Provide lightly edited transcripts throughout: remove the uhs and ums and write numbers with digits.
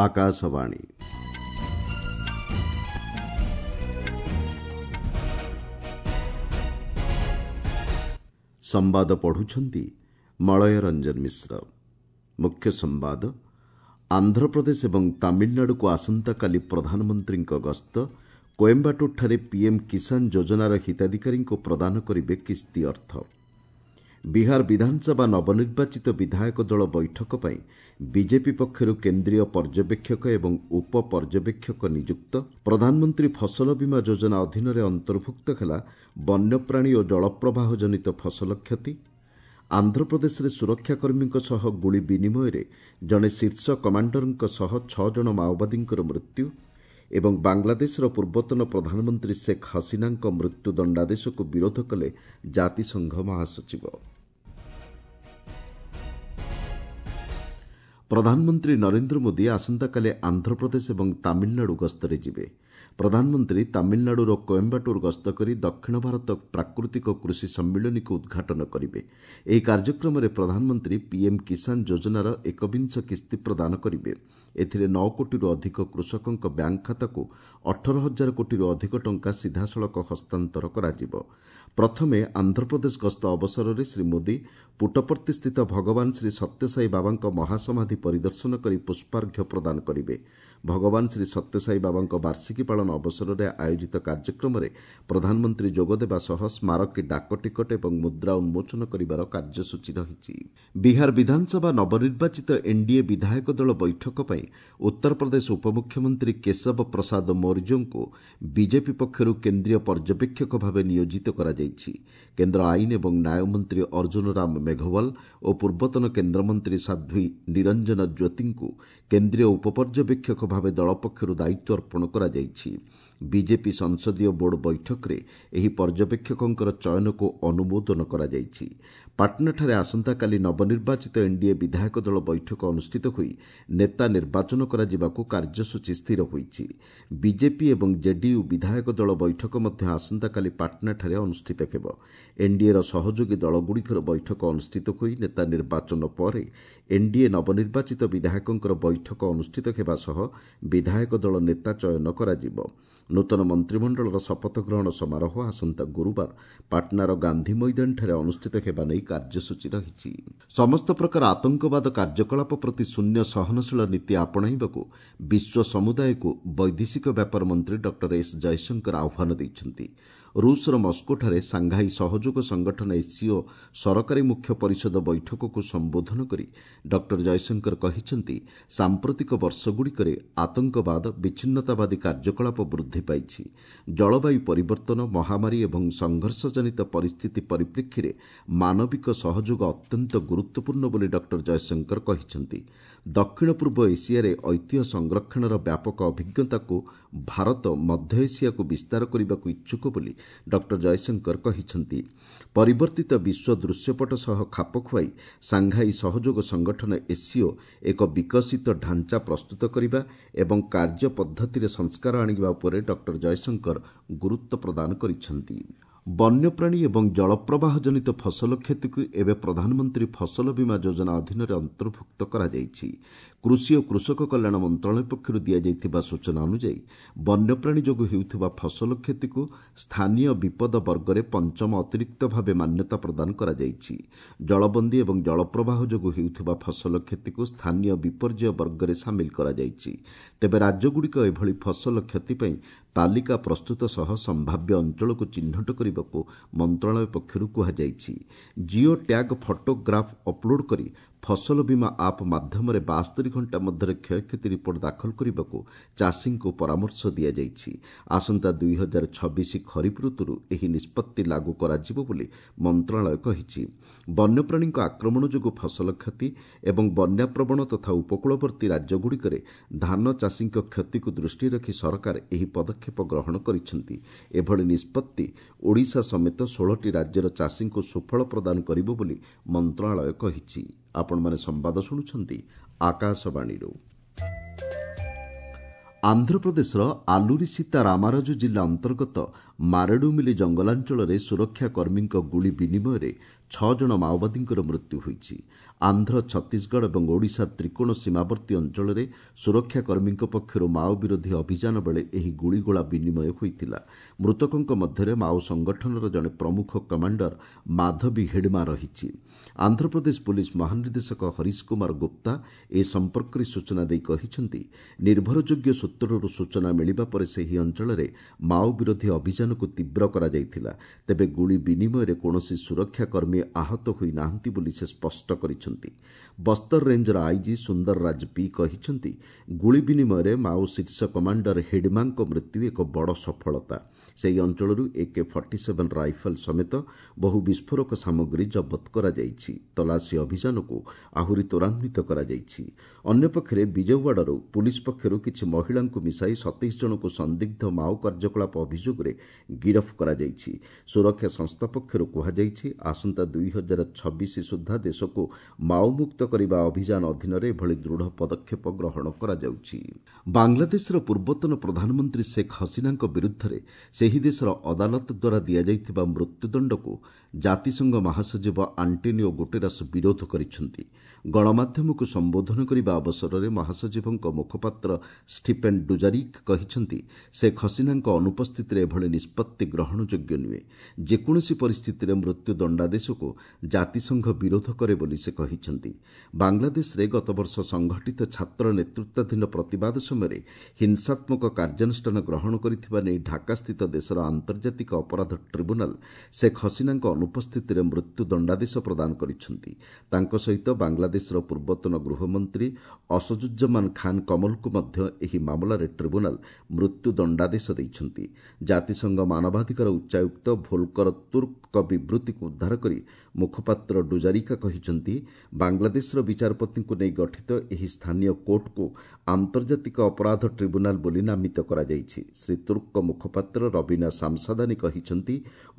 ଆକାଶବାଣୀ। ସମ୍ବାଦ ପଢ଼ୁଛନ୍ତି ମଳୟ ରଞ୍ଜନ ମିଶ୍ର। ମୁଖ୍ୟ ସମ୍ବାଦ, ଆନ୍ଧ୍ରପ୍ରଦେଶ ଏବଂ ତାମିଲନାଡୁକୁ ଆସନ୍ତାକାଲି ପ୍ରଧାନମନ୍ତ୍ରୀଙ୍କ ଗସ୍ତ। କୋଏମ୍ବାଟୁରଠାରେ ପିଏମ୍ କିଷାନ ଯୋଜନାର ହିତାଧିକାରୀଙ୍କୁ ପ୍ରଦାନ କରିବେ କିସ୍ତି ଅର୍ଥ। ବିହାର ବିଧାନସଭା ନବନିର୍ବାଚିତ ବିଧାୟକ ଦଳ ବୈଠକ ପାଇଁ ବିଜେପି ପକ୍ଷରୁ କେନ୍ଦ୍ରୀୟ ପର୍ଯ୍ୟବେକ୍ଷକ ଏବଂ ଉପ ପର୍ଯ୍ୟବେକ୍ଷକ ନିଯୁକ୍ତ। ପ୍ରଧାନମନ୍ତ୍ରୀ ଫସଲ ବୀମା ଯୋଜନା ଅଧୀନରେ ଅନ୍ତର୍ଭୁକ୍ତ ହେଲା ବନ୍ୟପ୍ରାଣୀ ଓ ଜଳପ୍ରବାହ ଜନିତ ଫସଲ କ୍ଷତି। ଆନ୍ଧ୍ରପ୍ରଦେଶରେ ସୁରକ୍ଷାକର୍ମୀଙ୍କ ସହ ଗୁଳି ବିନିମୟରେ ଜଣେ ଶୀର୍ଷ କମାଣ୍ଡରଙ୍କ ସହ 6 ଜଣ ମାଓବାଦୀଙ୍କର ମୃତ୍ୟୁ ଏବଂ ବାଂଲାଦେଶର ପୂର୍ବତନ ପ୍ରଧାନମନ୍ତ୍ରୀ ଶେଖ୍ ହସିନାଙ୍କ ମୃତ୍ୟୁ ଦଣ୍ଡାଦେଶକୁ ବିରୋଧ କଲେ ଜାତିସଂଘ ମହାସଚିବ। ପ୍ରଧାନମନ୍ତ୍ରୀ ନରେନ୍ଦ୍ର ମୋଦି ଆସନ୍ତାକାଲି ଆନ୍ଧ୍ରପ୍ରଦେଶ ଏବଂ ତାମିଲନାଡୁ ଗସ୍ତରେ ଯିବେ। ପ୍ରଧାନମନ୍ତ୍ରୀ ତାମିଲନାଡୁର କୋଏମ୍ବାଟୁର ଗସ୍ତ କରି ଦକ୍ଷିଣ ଭାରତ ପ୍ରାକୃତିକ କୃଷି ସମ୍ମିଳନୀକୁ ଉଦ୍ଘାଟନ କରିବେ। ଏହି କାର୍ଯ୍ୟକ୍ରମରେ ପ୍ରଧାନମନ୍ତ୍ରୀ ପିଏମ୍ କିଷାନ ଯୋଜନାର ଏକବିଂଶ କିସ୍ତି ପ୍ରଦାନ କରିବେ। ଏଥିରେ 9 କୋଟିରୁ ଅଧିକ କୃଷକଙ୍କ ବ୍ୟାଙ୍କ ଖାତାକୁ 18 ହଜାର କୋଟିରୁ ଅଧିକ ଟଙ୍କା ସିଧାସଳଖ ହସ୍ତାନ୍ତର କରାଯିବ। ପ୍ରଥମେ ଆନ୍ଧ୍ରପ୍ରଦେଶ ଗସ୍ତ ଅବସରରେ ଶ୍ରୀ ମୋଦି ପୁଟପର୍ତ୍ତିସ୍ଥିତ ଭଗବାନ ଶ୍ରୀ ସତ୍ୟସାଇ ବାବାଙ୍କ ମହାସମାଧି ପରିଦର୍ଶନ କରି ପୁଷ୍ପାର୍ଘ୍ୟ ପ୍ରଦାନ କରିବେ। ଭଗବାନ ଶ୍ରୀ ସତ୍ୟସାଇ ବାବାଙ୍କ ବାର୍ଷିକୀ ପାଳନ ଅବସରରେ ଆୟୋଜିତ କାର୍ଯ୍ୟକ୍ରମରେ ପ୍ରଧାନମନ୍ତ୍ରୀ ଯୋଗଦେବା ସହ ସ୍ମାରକୀ ଡାକ ଟିକଟ ଏବଂ ମୁଦ୍ରା ଉନ୍ମୋଚନ କରିବାର କାର୍ଯ୍ୟସୂଚୀ ରହିଛି। ବିହାର ବିଧାନସଭା ନବନିର୍ବାଚିତ ଏନ୍ଡିଏ ବିଧାୟକ ଦଳ ବୈଠକ ପାଇଁ ଉତ୍ତରପ୍ରଦେଶ ଉପମୁଖ୍ୟମନ୍ତ୍ରୀ କେଶବ ପ୍ରସାଦ ମୌର୍ଯ୍ୟଙ୍କୁ ବିଜେପି ପକ୍ଷରୁ କେନ୍ଦ୍ରୀୟ ପର୍ଯ୍ୟବେକ୍ଷକ ଭାବେ ନିୟୋଜିତ କରାଯାଇଛି। କେନ୍ଦ୍ର ଆଇନ ଏବଂ ନ୍ୟାୟ ମନ୍ତ୍ରୀ ଅର୍ଜୁନ ରାମ ମେଘୱାଲ ଓ ପୂର୍ବତନ କେନ୍ଦ୍ରମନ୍ତ୍ରୀ ସାଧ୍ୱୀ ନିରଞ୍ଜନ ଜ୍ୟୋତିଙ୍କୁ କେନ୍ଦ୍ରୀୟ ଉପପର୍ଯ୍ୟବେକ୍ଷକ ଭାବେ ଦଳ ପକ୍ଷରୁ ଦାୟିତ୍ୱ ଅର୍ପଣ କରାଯାଇଛି। ବିଜେପି ସଂସଦୀୟ ବୋର୍ଡ ବୈଠକରେ ଏହି ପର୍ଯ୍ୟବେକ୍ଷକଙ୍କର ଚୟନକୁ ଅନୁମୋଦନ କରାଯାଇଛି। ପାଟନାଠାରେ ଆସନ୍ତାକାଲି ନବନିର୍ବାଚିତ ଏନ୍ଡିଏ ବିଧାୟକ ଦଳ ବୈଠକ ଅନୁଷ୍ଠିତ ହୋଇ ନେତା ନିର୍ବାଚନ କରାଯିବାକୁ କାର୍ଯ୍ୟସୂଚୀ ସ୍ଥିର ହୋଇଛି। ବିଜେପି ଏବଂ ଜେଡିୟୁ ବିଧାୟକ ଦଳ ବୈଠକ ମଧ୍ୟ ଆସନ୍ତାକାଲି ପାଟନାଠାରେ ଅନୁଷ୍ଠିତ ହେବ। ଏନ୍ଡିଏର ସହଯୋଗୀ ଦଳଗୁଡ଼ିକର ବୈଠକ ଅନୁଷ୍ଠିତ ହୋଇ ନେତା ନିର୍ବାଚନ ପରେ ଏନ୍ଡିଏ ନବନିର୍ବାଚିତ ବିଧାୟକଙ୍କର ବୈଠକ ଅନୁଷ୍ଠିତ ହେବା ସହ ବିଧାୟକ ଦଳ ନେତା ଚୟନ କରାଯିବ। ନୂତନ ମନ୍ତ୍ରିମଣ୍ଡଳର ଶପଥ ଗ୍ରହଣ ସମାରୋହ ଆସନ୍ତା ଗୁରୁବାର ପାଟନାର ଗାନ୍ଧୀ ମଇଦାନଠାରେ ଅନୁଷ୍ଠିତ ହେବା ନେଇ କାର୍ଯ୍ୟସୂଚୀ ରହିଛି। ସମସ୍ତ ପ୍ରକାର ଆତଙ୍କବାଦ କାର୍ଯ୍ୟକଳାପ ପ୍ରତି ଶୂନ୍ୟ ସହନଶୀଳ ନୀତି ଆପଣାଇବାକୁ ବିଶ୍ୱ ସମୁଦାୟକୁ ବୈଦେଶିକ ବ୍ୟାପାର ମନ୍ତ୍ରୀ ଡକ୍ଟର ଏସ୍ ଜୟଶଙ୍କର ଆହ୍ୱାନ ଦେଇଛନ୍ତି। ରୁଷର ମସ୍କୋଠାରେ ସାଂଘାଇ ସହଯୋଗ ସଂଗଠନ ଏସ୍ସିଓ ସରକାରୀ ମୁଖ୍ୟ ପରିଷଦ ବୈଠକକୁ ସମ୍ବୋଧନ କରି ଡକ୍ଟର ଜୟଶଙ୍କର କହିଛନ୍ତି, ସାମ୍ପ୍ରତିକ ବର୍ଷଗୁଡ଼ିକରେ ଆତଙ୍କବାଦ, ବିଚ୍ଛିନ୍ନତାବାଦୀ କାର୍ଯ୍ୟକଳାପ ବୃଦ୍ଧି ପାଇଛି। ଜଳବାୟୁ ପରିବର୍ତ୍ତନ, ମହାମାରୀ ଏବଂ ସଂଘର୍ଷଜନିତ ପରିସ୍ଥିତି ପରିପ୍ରେକ୍ଷୀରେ ମାନବିକ ସହଯୋଗ ଅତ୍ୟନ୍ତ ଗୁରୁତ୍ୱପୂର୍ଣ୍ଣ ବୋଲି ଡକ୍ଟର ଜୟଶଙ୍କର କହିଛନ୍ତି। ଦକ୍ଷିଣ ପୂର୍ବ ଏସିଆରେ ଐତିହ୍ୟ ସଂରକ୍ଷଣର ବ୍ୟାପକ ଅଭିଜ୍ଞତାକୁ ଭାରତ ମଧ୍ୟ ଏସିଆକୁ ବିସ୍ତାର କରିବାକୁ ଇଚ୍ଛୁକ ବୋଲି ଡକ୍ଟର ଜୟଶଙ୍କର କହିଛନ୍ତି। ପରିବର୍ତ୍ତିତ ବିଶ୍ୱ ଦୃଶ୍ୟପଟ ସହ ଖାପ ଖୁଆଇ ସାଂଘାଇ ସହଯୋଗ ସଂଗଠନ ଏସ୍ସିଓ ଏକ ବିକଶିତ ଢାଞ୍ଚା ପ୍ରସ୍ତୁତ କରିବା ଏବଂ କାର୍ଯ୍ୟ ପଦ୍ଧତିରେ ସଂସ୍କାର ଆଣିବା ଉପରେ ଡକ୍ଟର ଜୟଶଙ୍କର ଗୁରୁତ୍ୱ ପ୍ରଦାନ କରିଛନ୍ତି। ବନ୍ୟପ୍ରାଣୀ ଏବଂ ଜଳପ୍ରବାହ ଜନିତ ଫସଲ କ୍ଷତିକୁ ଏବେ ପ୍ରଧାନମନ୍ତ୍ରୀ ଫସଲ ବୀମା ଯୋଜନା ଅଧୀନରେ ଅନ୍ତର୍ଭୁକ୍ତ କରାଯାଇଛି। କୃଷି ଓ କୃଷକ କଲ୍ୟାଣ ମନ୍ତ୍ରଣାଳୟ ପକ୍ଷରୁ ଦିଆଯାଇଥିବା ସୂଚନା ଅନୁଯାୟୀ ବନ୍ୟପ୍ରାଣୀ ଯୋଗୁଁ ହେଉଥିବା ଫସଲ କ୍ଷତିକୁ ସ୍ଥାନୀୟ ବିପଦ ବର୍ଗରେ ପଞ୍ଚମ ଅତିରିକ୍ତ ଭାବେ ମାନ୍ୟତା ପ୍ରଦାନ କରାଯାଇଛି। ଜଳବନ୍ଦୀ ଏବଂ ଜଳପ୍ରବାହ ଯୋଗୁଁ ହେଉଥିବା ଫସଲ କ୍ଷତିକୁ ସ୍ଥାନୀୟ ବିପର୍ଯ୍ୟୟ ବର୍ଗରେ ସାମିଲ କରାଯାଇଛି। ତେବେ ରାଜ୍ୟଗୁଡ଼ିକ ଏଭଳି ଫସଲ କ୍ଷତି ପାଇଁ ତାଲିକା ପ୍ରସ୍ତୁତ ସହ ସମ୍ଭାବ୍ୟ ଅଞ୍ଚଳକୁ ଚିହ୍ନଟ କରିବାକୁ ମନ୍ତ୍ରଣାଳୟ ପକ୍ଷରୁ କୁହାଯାଇଛି। ଜିଓ ଟ୍ୟାଗ୍ ଫଟୋଗ୍ରାଫ୍ ଅପଲୋଡ୍ କରି ଫସଲ ବୀମା ଆପ୍ ମାଧ୍ୟମରେ 72 ଘଣ୍ଟା ମଧ୍ୟରେ କ୍ଷୟକ୍ଷତି ରିପୋର୍ଟ ଦାଖଲ କରିବାକୁ ଚାଷୀଙ୍କୁ ପରାମର୍ଶ ଦିଆଯାଇଛି। ଆସନ୍ତା 2026 ଖରିଫ ଋତୁରୁ ଏହି ନିଷ୍ପତ୍ତି ଲାଗୁ କରାଯିବ ବୋଲି ମନ୍ତ୍ରଣାଳୟ କହିଛି। ବନ୍ୟପ୍ରାଣୀଙ୍କ ଆକ୍ରମଣ ଯୋଗୁଁ ଫସଲ କ୍ଷତି ଏବଂ ବନ୍ୟାପ୍ରବଣ ତଥା ଉପକୂଳବର୍ତ୍ତୀ ରାଜ୍ୟଗୁଡ଼ିକରେ ଧାନ ଚାଷୀଙ୍କ କ୍ଷତିକୁ ଦୃଷ୍ଟିରେ ରଖି ସରକାର ଏହି ପଦକ୍ଷେପ ଗ୍ରହଣ କରିଛନ୍ତି। ଏଭଳି ନିଷ୍ପତ୍ତି ଓଡ଼ିଶା ସମେତ 16ଟି ରାଜ୍ୟର ଚାଷୀଙ୍କୁ ସୁଫଳ ପ୍ରଦାନ କରିବ ବୋଲି ମନ୍ତ୍ରଣାଳୟ କହିଛି। ଆପଣମାନେ ସମ୍ବାଦ ଶୁଣୁଛନ୍ତି ଆକାଶବାଣୀରୁ। ଆନ୍ଧ୍ରପ୍ରଦେଶର ଆଲୁରି ସୀତା ରାମାରାଜୁ ଜିଲ୍ଲା ଅନ୍ତର୍ଗତ ମାରେଡୁମିଲି ଜଙ୍ଗଲାଞ୍ଚଳରେ ସୁରକ୍ଷାକର୍ମୀଙ୍କ ଗୁଳି ବିନିମୟରେ 6 ଜଣ ମାଓବାଦୀଙ୍କର ମୃତ୍ୟୁ ହୋଇଛି। ଆନ୍ଧ୍ର, ଛତିଶଗଡ଼ ଏବଂ ଓଡ଼ିଶା ତ୍ରିକୋଣ ସୀମାବର୍ତ୍ତୀ ଅଞ୍ଚଳରେ ସୁରକ୍ଷାକର୍ମୀଙ୍କ ପକ୍ଷରୁ ମାଓ ବିରୋଧୀ ଅଭିଯାନ ବେଳେ ଏହି ଗୁଳିଗୋଳା ବିନିମୟ ହୋଇଥିଲା। ମୃତକଙ୍କ ମଧ୍ୟରେ ମାଓ ସଂଗଠନର ଜଣେ ପ୍ରମୁଖ କମାଣ୍ଡର ମାଧବୀ ହିଡମା ରହିଛି। ଆନ୍ଧ୍ରପ୍ରଦେଶ ପୁଲିସ୍ ମହାନିର୍ଦ୍ଦେଶକ ହରିଶ କୁମାର ଗୁପ୍ତା ଏ ସମ୍ପର୍କରେ ସୂଚନା ଦେଇ କହିଛନ୍ତି, ନିର୍ଭରଯୋଗ୍ୟ ସୂତ୍ରରୁ ସୂଚନା ମିଳିବା ପରେ ସେହି ଅଞ୍ଚଳରେ ମାଓ ବିରୋଧୀ ଅଭିଯାନକୁ ତୀବ୍ର କରାଯାଇଥିଲା। ତେବେ ଗୁଳି ବିନିମୟରେ କୌଣସି ସୁରକ୍ଷାକର୍ମୀ ଆହତ ହୋଇନାହାନ୍ତି ବୋଲି ସେ ସ୍ପଷ୍ଟ କରିଛନ୍ତି। ବସ୍ତର ରେଞ୍ଜର ଆଇଜି ସୁନ୍ଦରରାଜ ପି କହିଛନ୍ତି, ଗୁଳି ବିନିମୟରେ ମାଓ ଶୀର୍ଷ କମାଣ୍ଡର ହିଡମାଙ୍କ ମୃତ୍ୟୁ ଏକ ବଡ଼ ସଫଳତା। ସେହି ଅଞ୍ଚଳରୁ AK-47 rifle ସମେତ ବହୁ ବିସ୍ଫୋରକ ସାମଗ୍ରୀ ଜବତ କରାଯାଇଛି। ତଲାସୀ ଅଭିଯାନକୁ ଆହୁରି ତ୍ୱରାନ୍ୱିତ କରାଯାଇଛି। ଅନ୍ୟପକ୍ଷରେ ବିଜୟୱାଡ଼ାରୁ ପୁଲିସ୍ ପକ୍ଷରୁ କିଛି ମହିଳାଙ୍କୁ ମିଶାଇ 27 ଜଣଙ୍କୁ ସନ୍ଦିଗ୍ଧ ମାଓ କାର୍ଯ୍ୟକଳାପ ଅଭିଯୋଗରେ ଗିରଫ କରାଯାଇଛି। ସୁରକ୍ଷା ସଂସ୍ଥା ପକ୍ଷରୁ କୁହାଯାଇଛି, ଆସନ୍ତା 2026 ସୁଦ୍ଧା ଦେଶକୁ ମାଓମୁକ୍ତ କରିବା ଅଭିଯାନ ଅଧୀନରେ ଏଭଳି ଦୃଢ଼ ପଦକ୍ଷେପ ଗ୍ରହଣ କରାଯାଉଛି। ବାଂଲାଦେଶର ପୂର୍ବତନ ପ୍ରଧାନମନ୍ତ୍ରୀ ଶେଖ୍ ହସିନାଙ୍କ ବିରୁଦ୍ଧରେ ସେହି ଦେଶର ଅଦାଲତ ଦ୍ୱାରା ଦିଆଯାଇଥିବା ମୃତ୍ୟୁଦଣ୍ଡକୁ ଜାତିସଂଘ ମହାସଚିବ ଆଣ୍ଟୋନିଓ ଗୁଟେରସ୍ ବିରୋଧ କରିଛନ୍ତି। ଗଣମାଧ୍ୟମକୁ ସମ୍ବୋଧନ କରିବା ଅବସରରେ ମହାସଚିବଙ୍କ ମୁଖପାତ୍ର ଷ୍ଟିଫେନ୍ ଡୁଜାରିକ୍ କହିଛନ୍ତି, ଶେଖ୍ ହସିନାଙ୍କ ଅନୁପସ୍ଥିତିରେ ଏଭଳି ନିଷ୍ପତ୍ତି ଗ୍ରହଣଯୋଗ୍ୟ ନୁହେଁ। ଯେକୌଣସି ପରିସ୍ଥିତିରେ ମୃତ୍ୟୁ ଦଣ୍ଡାଦେଶକୁ ଜାତିସଂଘ ବିରୋଧ କରେ ବୋଲି ସେ କହିଛନ୍ତି। ବାଂଲାଦେଶରେ ଗତବର୍ଷ ସଂଘଟିତ ଛାତ୍ର ନେତୃତ୍ୱାଧୀନ ପ୍ରତିବାଦ ସମୟରେ ହିଂସାତ୍ମକ କାର୍ଯ୍ୟାନୁଷ୍ଠାନ ଗ୍ରହଣ କରିଥିବା ନେଇ ଢାକାସ୍ଥିତ ଦେଶର ଆନ୍ତର୍ଜାତିକ ଅପରାଧ ଟ୍ରିବ୍ୟୁନାଲ ଶେଖ୍ ହସିନାଙ୍କ ଅନୁପସ୍ଥିତିରେ ମୃତ୍ୟୁ ଦଣ୍ଡାଦେଶ ପ୍ରଦାନ କରିଛନ୍ତି। ତାଙ୍କ ସହିତ ବାଂଲାଦେଶର ପୂର୍ବତନ ଗୃହମନ୍ତ୍ରୀ ଅସଦୁଜ୍ଜମାନ ଖାନ୍ କମଲଙ୍କୁ ମଧ୍ୟ ଏହି ମାମଲାରେ ଟ୍ରିବ୍ୟୁନାଲ ମୃତ୍ୟୁ ଦଣ୍ଡାଦେଶ ଦେଇଛନ୍ତି। ଜାତିସଂଘ ମାନବାଧିକାର ଉଚ୍ଚାୟୁକ୍ତ ଭୋଲକର ତୁର୍କଙ୍କ ବିବୃତ୍ତିକୁ ଉଦ୍ଧାର କରି ମୁଖପାତ୍ର ଡୁଜାରିକା କହିଛନ୍ତି, ବାଂଲାଦେଶର ବିଚାରପତିଙ୍କୁ ନେଇ ଗଠିତ ଏହି ସ୍ଥାନୀୟ କୋର୍ଟକୁ ଆନ୍ତର୍ଜାତିକ ଅପରାଧ ଟ୍ରିବ୍ୟୁନାଲ ବୋଲି ନାମିତ କରାଯାଇଛି। ଶ୍ରୀ ତୁର୍କଙ୍କ ମୁଖପାତ୍ର ରବିନା ସାମସାଦାନୀ କହିଛନ୍ତି,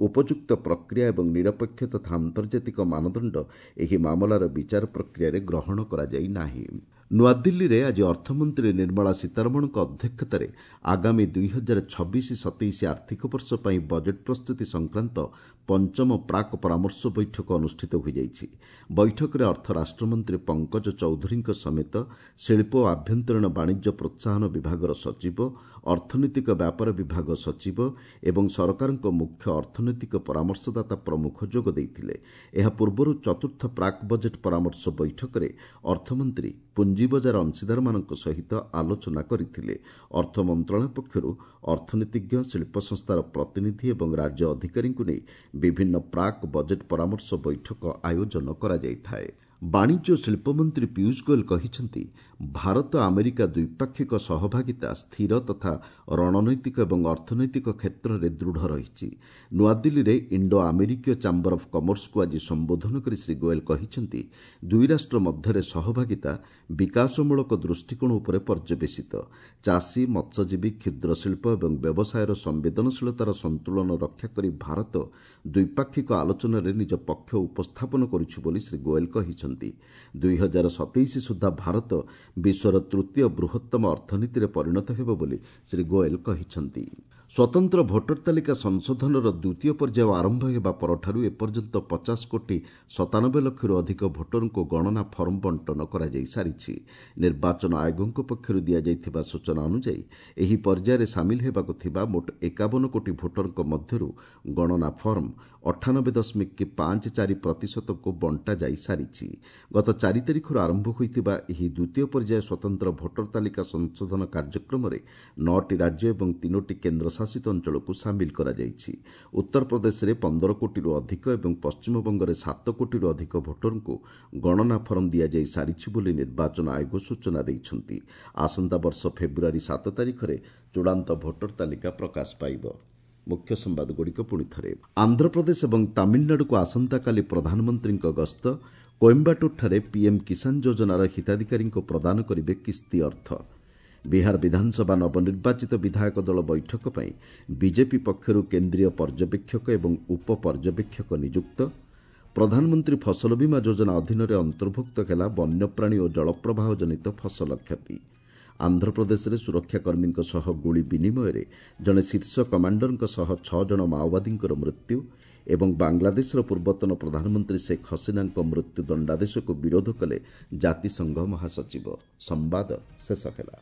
ଉପଯୁକ୍ତ ପ୍ରକ୍ରିୟା ଏବଂ ନିରପେକ୍ଷ ତଥା ଆନ୍ତର୍ଜାତିକ ମାନଦଣ୍ଡ ଏହି ମାମଲାର ବିଚାର ପ୍ରକ୍ରିୟାରେ ଗ୍ରହଣ କରାଯାଇ ନାହିଁ। ନୂଆଦିଲ୍ଲୀରେ ଆଜି ଅର୍ଥମନ୍ତ୍ରୀ ନିର୍ମଳା ସୀତାରମଣଙ୍କ ଅଧ୍ୟକ୍ଷତାରେ ଆଗାମୀ 2026-27 ଆର୍ଥିକ ବର୍ଷ ପାଇଁ ବଜେଟ୍ ପ୍ରସ୍ତୁତି ସଂକ୍ରାନ୍ତ ପଞ୍ଚମ ପ୍ରାକ୍ ପରାମର୍ଶ ବୈଠକ ଅନୁଷ୍ଠିତ ହୋଇଯାଇଛି। ବୈଠକରେ ଅର୍ଥ ରାଷ୍ଟ୍ରମନ୍ତ୍ରୀ ପଙ୍କଜ ଚୌଧୁରୀଙ୍କ ସମେତ ଶିଳ୍ପ ଓ ଆଭ୍ୟନ୍ତରୀଣ ବାଣିଜ୍ୟ ପ୍ରୋତ୍ସାହନ ବିଭାଗର ସଚିବ, ଅର୍ଥନୈତିକ ବ୍ୟାପାର ବିଭାଗ ସଚିବ ଏବଂ ସରକାରଙ୍କ ମୁଖ୍ୟ ଅର୍ଥନୈତିକ ପରାମର୍ଶଦାତା ପ୍ରମୁଖ ଯୋଗ ଦେଇଥିଲେ। ଏହା ପୂର୍ବରୁ ଚତୁର୍ଥ ପ୍ରାକ୍ ବଜେଟ୍ ପରାମର୍ଶ ବୈଠକରେ ଅର୍ଥମନ୍ତ୍ରୀ ପୁଞ୍ଜିବଜାର ଅଂଶୀଦାରମାନଙ୍କ ସହିତ ଆଲୋଚନା କରିଥିଲେ। ଅର୍ଥ ମନ୍ତ୍ରଣାଳୟ ପକ୍ଷରୁ ଅର୍ଥନୀତିଜ୍ଞ, ଶିଳ୍ପ ସଂସ୍ଥାର ପ୍ରତିନିଧି ଏବଂ ରାଜ୍ୟ ଅଧିକାରୀଙ୍କୁ ନେଇ ବିଭିନ୍ନ ପ୍ରାକ୍ ବଜେଟ୍ ପରାମର୍ଶ ବୈଠକ ଆୟୋଜନ କରାଯାଇଥାଏ। ବାଣିଜ୍ୟ ଓ ଶିଳ୍ପମନ୍ତ୍ରୀ ପୀୟୁଷ ଗୋଏଲ କହିଛନ୍ତି, ଭାରତ ଆମେରିକା ଦ୍ୱିପାକ୍ଷିକ ସହଭାଗିତା ସ୍ଥିର ତଥା ରଣନୈତିକ ଏବଂ ଅର୍ଥନୈତିକ କ୍ଷେତ୍ରରେ ଦୃଢ଼ ରହିଛି। ନୂଆଦିଲ୍ଲୀରେ ଇଣ୍ଡୋ ଆମେରିକୀୟ ଚାମ୍ବର ଅଫ୍ କମର୍ସକୁ ଆଜି ସମ୍ବୋଧନ କରି ଶ୍ରୀ ଗୋଏଲ କହିଛନ୍ତି, ଦୁଇ ରାଷ୍ଟ୍ର ମଧ୍ୟରେ ସହଭାଗିତା ବିକାଶମୂଳକ ଦୃଷ୍ଟିକୋଣ ଉପରେ ପର୍ଯ୍ୟବେସିତ। ଚାଷୀ, ମତ୍ସ୍ୟଜୀବୀ, କ୍ଷୁଦ୍ର ଶିଳ୍ପ ଏବଂ ବ୍ୟବସାୟର ସମ୍ବେଦନଶୀଳତାର ସନ୍ତୁଳନ ରକ୍ଷା କରି ଭାରତ ଦ୍ୱିପାକ୍ଷିକ ଆଲୋଚନାରେ ନିଜ ପକ୍ଷ ଉପସ୍ଥାପନ କରୁଛି ବୋଲି ଶ୍ରୀ ଗୋଏଲ କହିଛନ୍ତି। 2027 ସୁଦ୍ଧା ଭାରତ ବିଶ୍ୱର ତୃତୀୟ ବୃହତ୍ତମ ଅର୍ଥନୀତିରେ ପରିଣତ ହେବ ବୋଲି ଶ୍ରୀ ଗୋଏଲ କହିଛନ୍ତି। ସ୍ୱତନ୍ତ୍ର ଭୋଟର ତାଲିକା ସଂଶୋଧନର ଦ୍ୱିତୀୟ ପର୍ଯ୍ୟାୟ ଆରମ୍ଭ ହେବା ପରଠାରୁ ଏପର୍ଯ୍ୟନ୍ତ 50 କୋଟି 97 ଲକ୍ଷରୁ ଅଧିକ ଭୋଟରଙ୍କୁ ଗଣନା ଫର୍ମ ବଣ୍ଟନ କରାଯାଇ ସାରିଛି। ନିର୍ବାଚନ ଆୟୋଗଙ୍କ ପକ୍ଷରୁ ଦିଆଯାଇଥିବା ସୂଚନା ଅନୁଯାୟୀ ଏହି ପର୍ଯ୍ୟାୟରେ ସାମିଲ ହେବାକୁ ଥିବା ମୋଟ 51 କୋଟି ଭୋଟରଙ୍କ ମଧ୍ୟରୁ ଗଣନା ଫର୍ମ 98.54%କୁ ବଣ୍ଟା ଯାଇ ସାରିଛି। ଗତ 4 ତାରିଖରୁ ଆରମ୍ଭ ହୋଇଥିବା ଏହି ଦ୍ୱିତୀୟ ପର୍ଯ୍ୟାୟ ସ୍ୱତନ୍ତ୍ର ଭୋଟର ତାଲିକା ସଂଶୋଧନ କାର୍ଯ୍ୟକ୍ରମରେ 9ଟି ରାଜ୍ୟ ଏବଂ 3ଟି କେନ୍ଦ୍ରଶାସିତ ଅଞ୍ଚଳକୁ ସାମିଲ କରାଯାଇଛି। ଉତ୍ତରପ୍ରଦେଶରେ 15 କୋଟିରୁ ଅଧିକ ଏବଂ ପଶ୍ଚିମବଙ୍ଗରେ 7 କୋଟିରୁ ଅଧିକ ଭୋଟରଙ୍କୁ ଗଣନା ଫର୍ମ ଦିଆଯାଇ ସାରିଛି ବୋଲି ନିର୍ବାଚନ ଆୟୋଗ ସୂଚନା ଦେଇଛନ୍ତି। ଆସନ୍ତା ବର୍ଷ ଫେବୃଆରୀ 7 ତାରିଖରେ ଚୂଡ଼ାନ୍ତ ଭୋଟର ତାଲିକା ପ୍ରକାଶ ପାଇବ। ମୁଖ୍ୟ ସମ୍ବାଦଗୁଡ଼ିକ ପୁଣି ଥରେ। ଆନ୍ଧ୍ରପ୍ରଦେଶ ଏବଂ ତାମିଲନାଡୁକୁ ଆସନ୍ତାକାଲି ପ୍ରଧାନମନ୍ତ୍ରୀଙ୍କ ଗସ୍ତ। କୋଏମ୍ବାଟୁରଠାରେ ପିଏମ୍ କିଷାନ ଯୋଜନାର ହିତାଧିକାରୀଙ୍କୁ ପ୍ରଦାନ କରିବେ କିସ୍ତି ଅର୍ଥ। ବିହାର ବିଧାନସଭା ନବନିର୍ବାଚିତ ବିଧାୟକ ଦଳ ବୈଠକ ପାଇଁ ବିଜେପି ପକ୍ଷରୁ କେନ୍ଦ୍ରୀୟ ପର୍ଯ୍ୟବେକ୍ଷକ ଏବଂ ଉପପର୍ଯ୍ୟବେକ୍ଷକ ନିଯୁକ୍ତ। ପ୍ରଧାନମନ୍ତ୍ରୀ ଫସଲ ବୀମା ଯୋଜନା ଅଧୀନରେ ଅନ୍ତର୍ଭୁକ୍ତ ହେଲା ବନ୍ୟପ୍ରାଣୀ ଓ ଜଳପ୍ରବାହ ଜନିତ ଫସଲ କ୍ଷତି। ଆନ୍ଧ୍ରପ୍ରଦେଶରେ ସୁରକ୍ଷାକର୍ମୀଙ୍କ ସହ ଗୁଳି ବିନିମୟରେ ଜଣେ ଶୀର୍ଷ କମାଣ୍ଡରଙ୍କ ସହ 6 ଜଣ ମାଓବାଦୀଙ୍କର ମୃତ୍ୟୁ ଏବଂ ବାଂଲାଦେଶର ପୂର୍ବତନ ପ୍ରଧାନମନ୍ତ୍ରୀ ଶେଖ୍ ହସିନାଙ୍କ ମୃତ୍ୟୁ ଦଣ୍ଡାଦେଶକୁ ବିରୋଧ କଲେ ଜାତିସଂଘ ମହାସଚିବ। ସମ୍ବାଦ ଶେଷ ହେଲା।